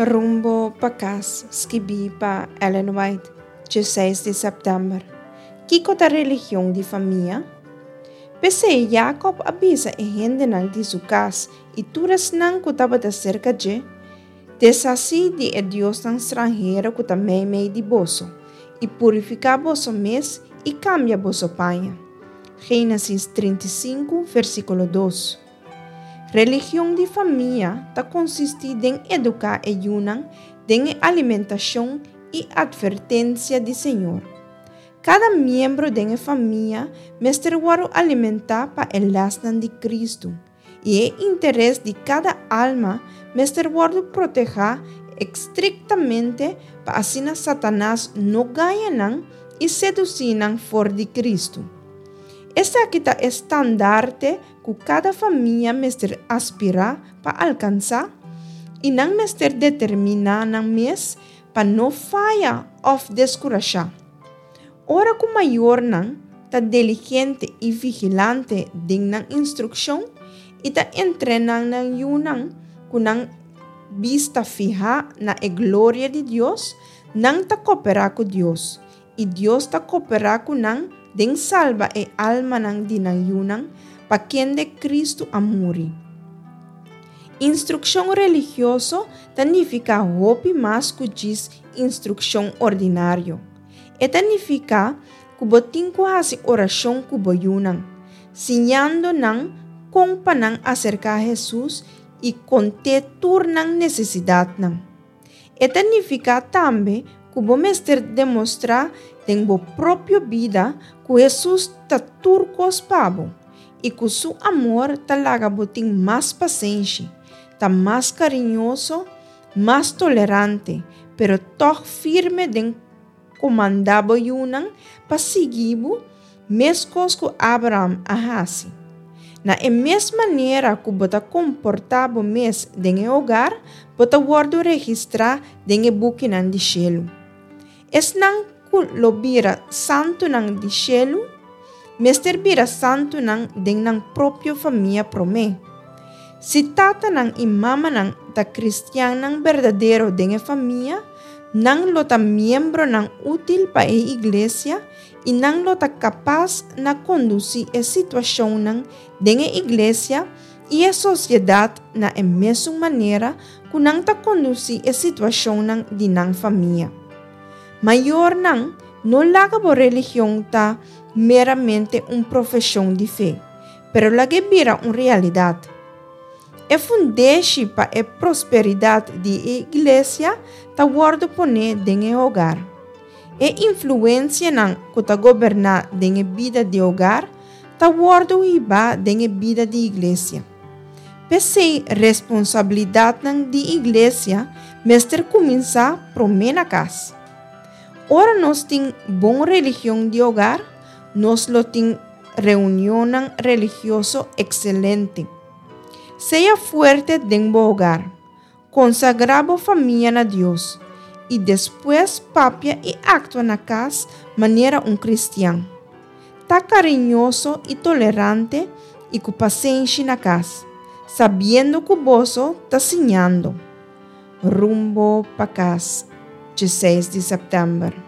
Rumbo pa kas, skibí pa Ellen White, 16 di sèptèmber. Kiko ta religion di famia? P'esei Jakòb a bisa e hendenan di su kas i tur esnan ku tabata serka dje, Deshasí di e diosnan stranhero ku ta meimei di boso, i purifiká boso mes i kambia boso paña. Génesis 35, versíkulo 2. Religion di famia ta konsistí den eduká e yunan den e alimentashon i atvertensia di Señor. Kada miembro den e famia mester wòrdu alimentá pa e lèsnan di Kristu, i e interes di kada alma mester wòrdu protehá estriktamente pa asina Satanas no gaña nan i sedusí nan for di Kristu. Esaki ta e standarte ku kada famia mester aspirá pa alkansá, i nan mester determiná nan mes pa no faya òf deskurashá. Ora ku mayornan ta diligente i vigilante den nan instrukshon i ta entrená nan yunan ku nan bista fihá na e gloria di Dios, nan ta koperá ku Dios, i Dios ta koperá ku nan den salba e almanan di nan yunan pa kende Kristu a muri. Instrukshon religioso ta nifiká hopi mas ku djis instrukshon ordinario. E ta nifiká ku bo tin ku hasi orashon ku bo yunan, siñando nan kon pa nan aserká Hesus i kont'é tur nan nesesidatnan. E ta nifiká tambe ku bo mester demostrá den bo propio bida ku Hesus ta tur kos pa bo i ku su amor ta laga bo tin mas pasenshi, ta mas kariñoso, mas tolerante, pero tòg firme den komandá bo yunan pa sigui bo meskos ku Abraham a hasi. Na e mes manera ku bo ta komportá bo mes den e hogar, bo ta wòrdu registrá den e bukinan di shelu. Esnan ku lo bira santunan di shelu mester bira santunan den nan propio famia promé. Si tatanan i mamanan ta kristiannan berdadero den e famia, nan lo ta miembronan útil pa e iglesia i nan lo ta kapas na kondusí e situashonnan den e iglesia i e sosiedat na e mesun manera ku nan ta kondusí e situashonnan di nan famia. Mayornan, no laga bo religion ta meramente un profeshon di fe, pero lag'é bira un realidat. E fundeshi pa e prosperidat di e iglesia ta wòrdu poné den e hogar. E influensianan ku ta goberná den e bida di hogar ta wòrdu hibá den e bida di iglesia. P'esei responsabilidatnan di iglesia mester kuminsá promé na kas. Ora nos tin bon religion di hogar, nos lo tin reunionnan religioso ekselente. Sea fuerte den bo hogar. Konsagrá bo famia na Dios i despues papia i aktua na kas manera un kristian. Ta kariñoso i tolerante i ku pasenshi na kas, sabiendo ku boso ta siñando. Rumbo pa kas, 16 di sèptèmber.